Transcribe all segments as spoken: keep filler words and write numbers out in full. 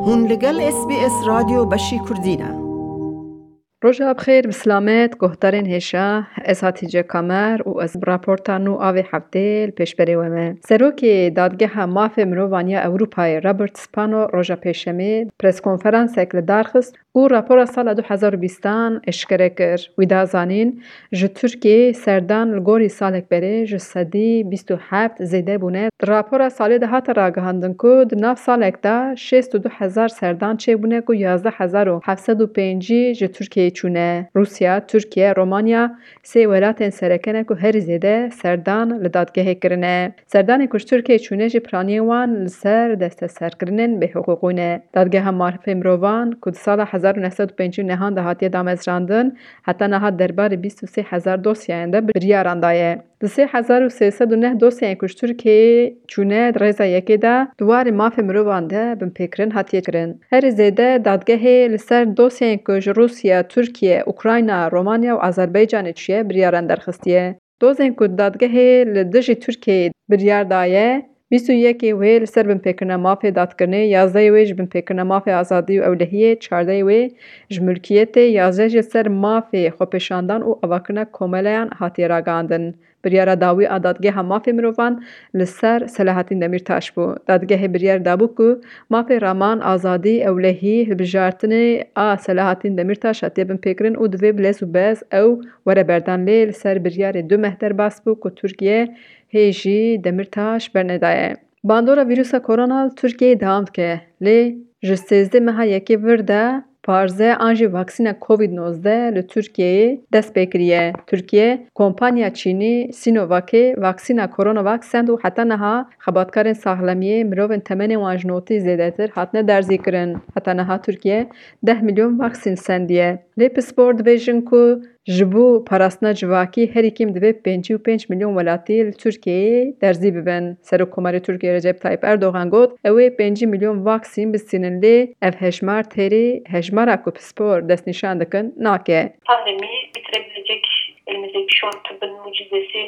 Hûn li gel S B S Radyo Beşî Kurdî ne. Roja bi xêr, bi silamet, guhdarên hêja, ez Hatice Kamer û ez bi raporta nû a vê heftê li pêşberê we me. Serokê Dadgeha Mafê Mirovan ya Ewropayê Robert Spano roja Pêşemê preskonferansek li dar xist û rapora sala du hezar û bîstan eşkere kir. Wî da zanîn, ji Tirkiyeyê serdan li gorî salek berê ji sedî bîst û heft zêde bûne. Di rapora salê de hate ragihandin ku di nav salek de şêst û du hezar serdan çêbûne ku yazdeh hezar û heft sed û pêncî ji Tirkiyeyê çûne. Rûsya, Tirkiye, Romanya sê welatên sereke ne ku herî zêde serdan li dadgehê kirine. Serdanên ku ji Tirkiyeyê çûne jî piraniyên wan li ser desteserkirinên bêhiqûqî ne. Dadgeha Mafê Mirovan ku di sala hezar û neh sed û pêncî û nehan de hatiye damezrandin, heta niha derbarê bîst û sê hezar dosyeyan de biryaran daye. Di sê hezar û sê sed û neh dosyeyên ku ji Tirkiyeyê çûne di rêza yekê de di warê mafê mirovan de binpêkirin hatiye kirin. Herî zêde dadgehê li ser dosyeyên ku ji Rûsya, Tirkiye, Ukrayna, Romanya û Azerbaycanê çûye biryaran derxistiye. Dozên ku dadgehê li dijî Tirkiyeyê biryar daye, bîst û yekê wê li ser binpêkirina mafê dadkirinê, yazdehê wê ji binpêkirina mafê azadî û ewlehiyê, çardehê wê ji milkiyetê, yazdeh jî li ser mafê xwepêşandan û avakirina komeleyan hatiye ragihandin. Biryara dawî a Dadgeha Mafê Mirovan li ser Selahattin Demirtaş bû. Dadgehê biryar dabû ku mafê raman, azadî, ewlehî, hilbijartinê a Selahattin Demirtaş hatiye binpêkirin û divê bi lez û bez ew were berdan, lê li ser biryarê du meh derbas bû ku Tirkiye hê jî Demirtaş bernedaye. Bandora vîrusa korona li Tirkiyeyê dewam dike, lê ji sêzdeh meha yekê vir de parze an jî vaksîna Covid nozdeh li Tirkiyeyê dest pê kiriye. Tirkiye, kompanya Çînî Sinovacê vaksîna Coronavac send û heta niha xebatkarên saxlemiyê, mirovên temenê wan ji notî zêdetir, hatine derzîkirin. Heta niha Tirkiye deh milyon vaksîn sendiye. Lê pispor dibêjin ku ji bo parastina civakî herî kêm divê pêncî û pênc milyon welatî li Tirkiyeyê derzî bibin. Serokkomarê Tirkiyê Recep Tayyip Erdogan got, ew ê pêncî milyon vaksîn bistînin, lê ev hejmar têrî hejmara ku pispor destnîşan dikin nake. Pandemi bitirebilecek elimizdeki şu an tıbbın mucizesi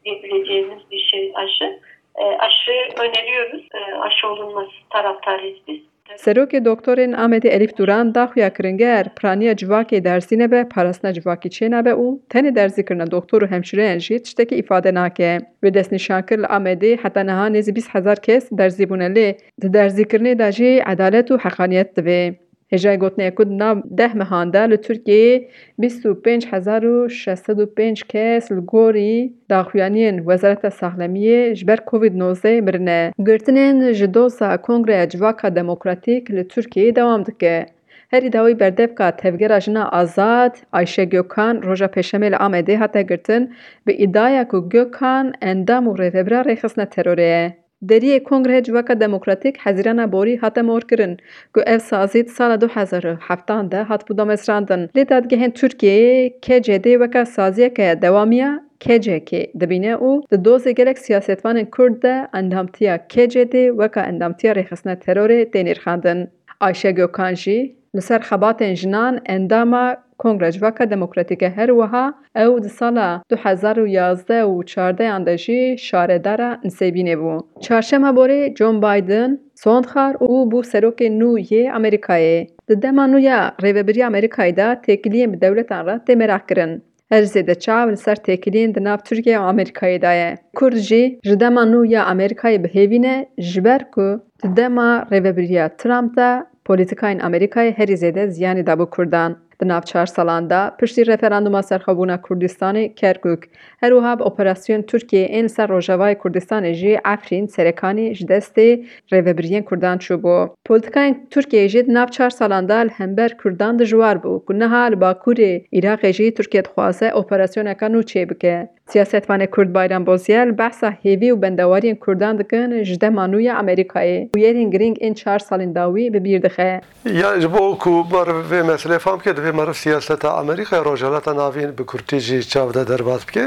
diyebileceğimiz bir şey aşı. E, aşı öneriyoruz. E, aşı olunması taraftarıyız biz. Serokê Doktorên Amedê Elîf Duran da xuya kirin, ger piraniya civakê derzî nebe, parastina civakî çênabe û tenê derzîkirina doktor û hemşîreyan jî tiştekî îfade nake. Wê destnîşan kir, li Amedê heta niha nêzî bîst hezar kes derzî bûne, lê di derzîkirinê de jî edalet û heqaniyet divê. Hêjayî gotinê ye ku di nav deh mehan de li Tirkiyeyê bîst û pênc hezar û şeş sed û pênc kes li gorî daxuyaniyên Wezareta Saxlemiyê ji ber Covid nozdeh mirine. Girtinên ji doza Kongreya Civaka Demokratîk li Tirkiyeyê dewam dike. Herî dawî berdevka Tevgera Jina Azad, Ayşe Gökhan, roja Pêşemê li Amedê hate girtin, bi îdiaya ku Gökhan endam û rêvebira rêxistina terorê ye. Deriyê Kongreya Civaka Demokratîk Hezîrana Borî hate morkirin, ku ev sazî di sala du hezar û heftan de hatibû damezrandin. Lê dadgehên Tirkiyeyê K C D weke saziyeke dewamiya K C K dibîne û di dozê gelek siyasetvanên Kurd de endamtiya K C D weke endamtiya rêxistina terorê tê nirxandin. Ayşe Gökhan jî li ser xebatên jinan endama Kongra Civaka Demokratîk e. Her wiha ew di sala du hezar û yazdeh û çardehan de jî şaredara Nisêbînê bû. Çarşema borê John Biden sond xwar û bû serokê nû yê Amerîkayê. Di dema nû ya rêvebiriya Amerîkayê de têkiliyên bi dewletan re tê meraq kirin. Her zêde çav li ser têkiliyên di nav Tirkiye û Amerîkayê de ye. Kurd jî ji dema nû ya Amerîkayê bi hêvî ne, ji ber ku di dema rêvebiriya Trump de polîtikayên Amerîkayê herî zêde ziyanê dabû Kurdan. Di nav çar salan de, piştî referanduma serxwebûna Kurdistanê, Kerkûk, her wiha bi operasyon Tirkiyeyê ên li ser Rojavayê Kurdistanê jî Efrîn, Serekanî ji destê rêvebiriyên Kurdan çûbû. Polîtikayên Tirkiyeyê jî di nav çar salan de li hember Kurdan dijwar bû, ku niha li Bakurê Iraqê jî Tirkiye dixwaze operasyoneke nû çêbike. Siyasetvanê Kurd Bayram Bozyel behsa hêvî û bendewariyên Kurdan dikin ji dema nû ya Amerîkayê. Bûyerên girîng ên çar salên dawî bi bîr dixe. Ya ji bo ku meriv vê meselê fam bike, divê meriv siyaseta Amerîkaya Rojhilata Navîn bi kurtî jî çav de derbas bike.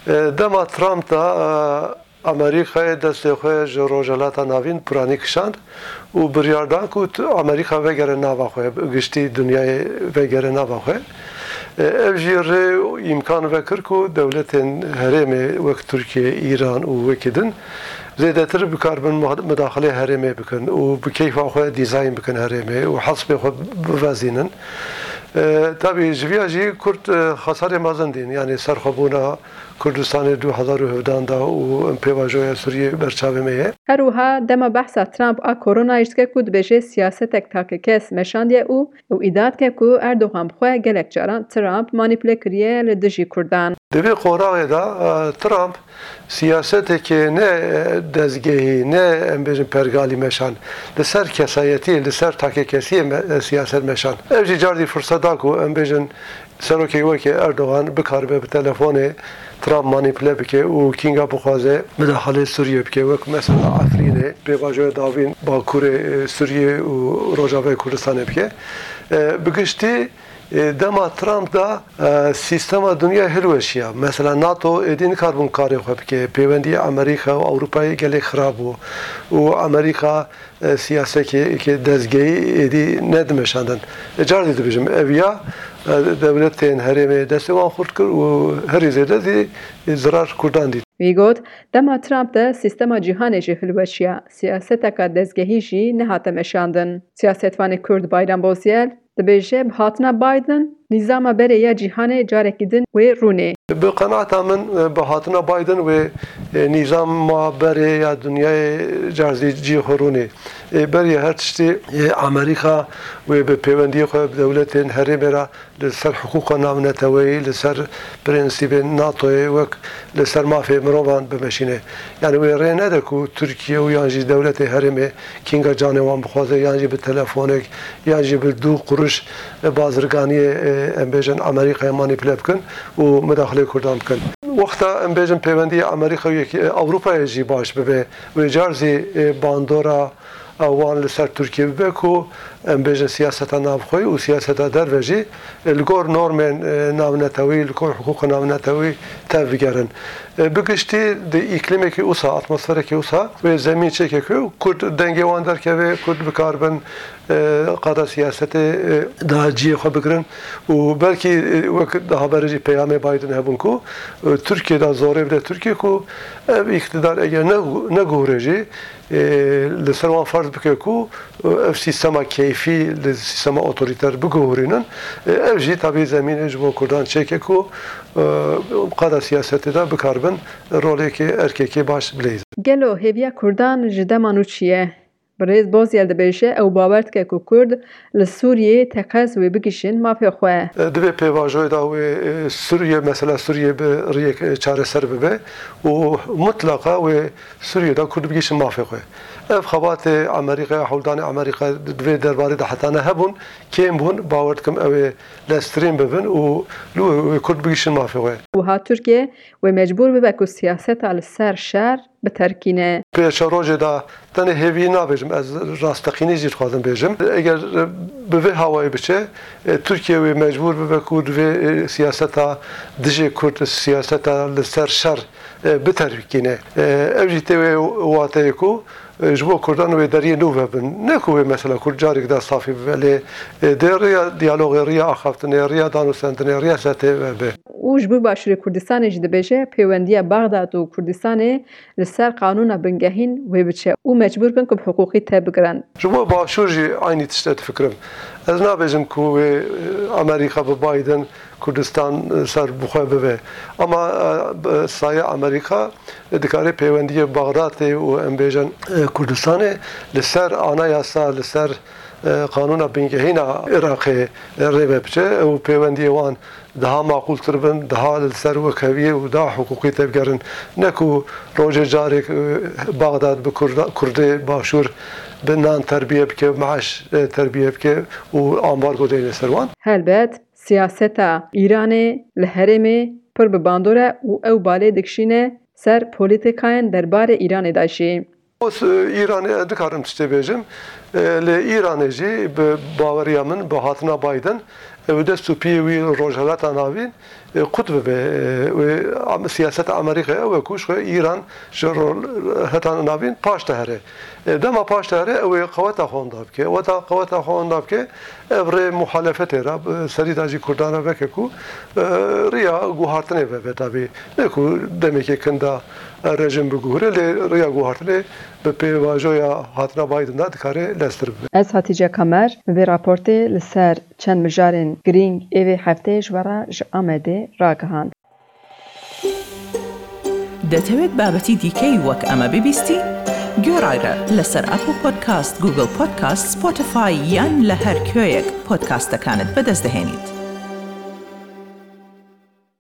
E, dema Trump de, e, Amerîkayê destê xwe ji Rojhilata Navîn piranî kişand û biryar dan ku t-, Amerîka vegere nava xwe, giştî dinyayê vegere nava xwe. E, ev jî rê û îmkan vekir ku dewletên herêmê wek Tirkiye, Îran û wekî din Zêdetir bikaribin muha-, mudaxilê herêmê bikin û bi keyfa xwe dîzayn bikin herêmê û hesbê xwe bivezînin. E, tabî ji viya jî Kurd, e, xesarê mezin dîn, yanî serxwebûna Kurdistanê du hezar û hevdan da û em pêvajoya Sûriyê ber çavê me ye. Her wiha dema behsa Trump a koronayê jî dike ku dibêje siyasetek takekes meşandiye û ew îdia dike ku Erdogan bi xwe gelek caran Trump manîpule kiriye li dijî Kurdan. Di vê qonaxê de, e, Trump siyasetekê ne, e, dezgehî, ne em bêjin pergalî meşan, li ser kesayetiyê, li ser takekesiyê me-, e, siyaset meşan. Ev jî cardî firset da ku em bêjin serokê wekî Erdogan bikaribe bi telefonê Trump manîpule bike û kînga bixwaze midaxalê Sûriyê bike, wek mesela Efrînê, pêvajoya dawîn Bakurê, e, Sûriyê û Rojavayê Kurdistanê bike. E, bi giştî, e, dema Trump da, e, sîstema dinya hilweşiya. Mesela NATO êdî nikaribûn karê xwe bike, pêwendiyê Amerîka û Ewropayê gelek xirab bû û Amerîka, e, siyasekê, eke dezgehî êdî nedimeşandin. E, cardî dibêjim, ev ya, e, dewletên herêmê destê wan xurt kir û herî zêde zî, e, zirar Kurdan dît. Wî got, dema Trump de sîstema cîhanê jî hilweşiya, siyaseteka dezgehî jî nehate meşandin. Siyasetvanê Kurd Bayram Bozyel dibêje, bi hatina Biden, nîzama berê ya cîhanê carekî din wê rûnê. Bi qenaeta min, e, bi hatina Biden wê, e, nîzama berê ya dinyayê cardî cî xwe rûnê. E, berî her tiştî, e, Amerîka wê bi pêwendiyê xwe bi dewletên herêmê re li ser hiqûqa navneteweyî, li ser prensîbên NATOyê wek li ser mafê mirovan bimeşîne. Yanî wê rê nede ku Tirkiye û yan jî dewletê herêmê kînga canê wan bixwaze, yan jî bi telefonek, yan jî bi du quruş bazirganiyê, e, em bêjin Amerîkayê manîpule bikin û midaxilê Kurdan bikin. Wexta em bêjin pêwendiyê Amerîka û yekî, e, Ewropayê jî baş bibe, wê car zî, e, bandora, e, wan li ser Tirkiye bibe ku em bêjin siyaseta navxweyî û siyaseta derve jî, e, li gor normên, e, navnetewî, li gor hiqûqa navnetewî tev bigerin. E, bi giştî di îklîmekî wisa, atmosferekî wisa wê zemîn çêke ku Kurd dengê wan derkeve, Kurd bikaribin, e, qada siyasetê, e, da cihê xwe bigirin û belkî, e, wek daha berê jî peyamê Biden hebûn ku, e, Tirkiye da zorê bide Tirkiye ku ev îktidar eger ne, neguhre jî, e, li ser wan ferz bike ku, e, ev sîstema keyfî li sîstema otorîter biguhurînin. E, ev jî tabî zemînê ji bo Kurdan çêke ku, e, qada siyasetê de bikaribin rolekê, erkekê baş bileyzin. Gelo hêviya Kurdan ji dema nû çi ye? Birêz Bozyel dibêje, ew bawer dike ku Kurd li Sûriyê teqez wê bigihîjin mafê xwe. Divê pêvajoyê de wê, e, Sûriye, mesela Sûriye bi riyek, e, çareser bibe û mutlaqa wê Sûriye de Kurd bigihîjin mafê xwe. Ev xebatê Amerîkaya, hewldanê Amerîka di vê derbarê de hetane hebûn, kêm bûn, bawer dikim ew ê leztirîn bibin û li wê Kurd bigihîjin mafê xwe. Wiha Tirkiye wê mecbûr bibe ku siyaseta li ser şer biterkîne. Pêşerojê de tenê hêvî nabêjim, ez rasteqînî jî dixwazim bêjim. Eger, e, bi vê hawayê biçe, e, Tirkiye wê mecbûr bibe ku divê, e, siyaseta dijê Kurd, siyaseta li ser şer, e, biterkîne. E, ev jî tê wê wateyê ku, e, ji bo Kurdan wê deriyê nû vebin. Ne ku wê mesela Kurd carek de safî bibe, lê, e, dê riya diyalogê, riya axaftinê, riya danûstendinê, riya setê vebe. Û ji bo Başûrê Kurdistanê jî dibêje, pêwendiya Baxdad û Kurdistanê li ser qanûna bingehîn wê biçe û mecbûr bin ku bi hiqûqî tevbigirin. Ji bo Başûr jî eynî tişt e difikirim. Ez nabêjim ku wê, e, Amerîka bi Biden Kurdistan, e, ser bi xwe bibe. Ama, e, bi sayê Amerîka, e, dikare pêwendiyê Baxdadê û em bêjin, e, Kurdistanê li ser anayasa, li ser, e, qanûna bingehîna Iraqê, e, rê ve biçe û pêwendiyê wan daha maqûltir bin, daha li ser wekheviyê û daha hiqûqî tevgerin. Ne ku rojê carek, e, Baxdad bi Kurda-, Kurdê Başûr bi nan terbiye bike, maaş, e, terbiye bike û ambargo deyne ser wan. Helbet, siyaseta Îranê li herêmê pir bi bandor e û ew balê dikişîne ser polîtîkayên derbarê Îranê de jî. Os, e, Îranê ez dikarim tiştê bêjim. E, Lê Îranê jî bi baweriya min, bi hatina Biden, ew dest û piyê wî Rojhilata Navîn, e, qut bibe. E, wê am-, siyaseta Amerîkayê ew e ku ji xwe Îran ji Rojhilata Navîn paş de here. E, dema paş de here, ew ê qeweta xwe wenda bike. Weta qeweta xwe wenda bike, ev rê muhalefetê re, bi serî de jî Kurdan re veke ku, e, riya guhartinê vebe tabî. Ne ku demekê kin de rejim biguhire, lê riya guhartinê bi pêvajoya hatina Biden de dikare leztir bibe. Ez Hatice Kamer, vê raportê li ser çend mijarên girîng ê vê hefteyê ji we re ji Amedê ragihand. دەتەوێت بابەتی دیکەی وەک ئەمە ببیستی؟ گوێڕایرە لەسەر ئەپڵ پۆدکاست، گوگڵ پۆدکاست، سپۆتیفای یان لە هەر کوێیەک پۆدکاستەکانت بەدەست دەهێنیت.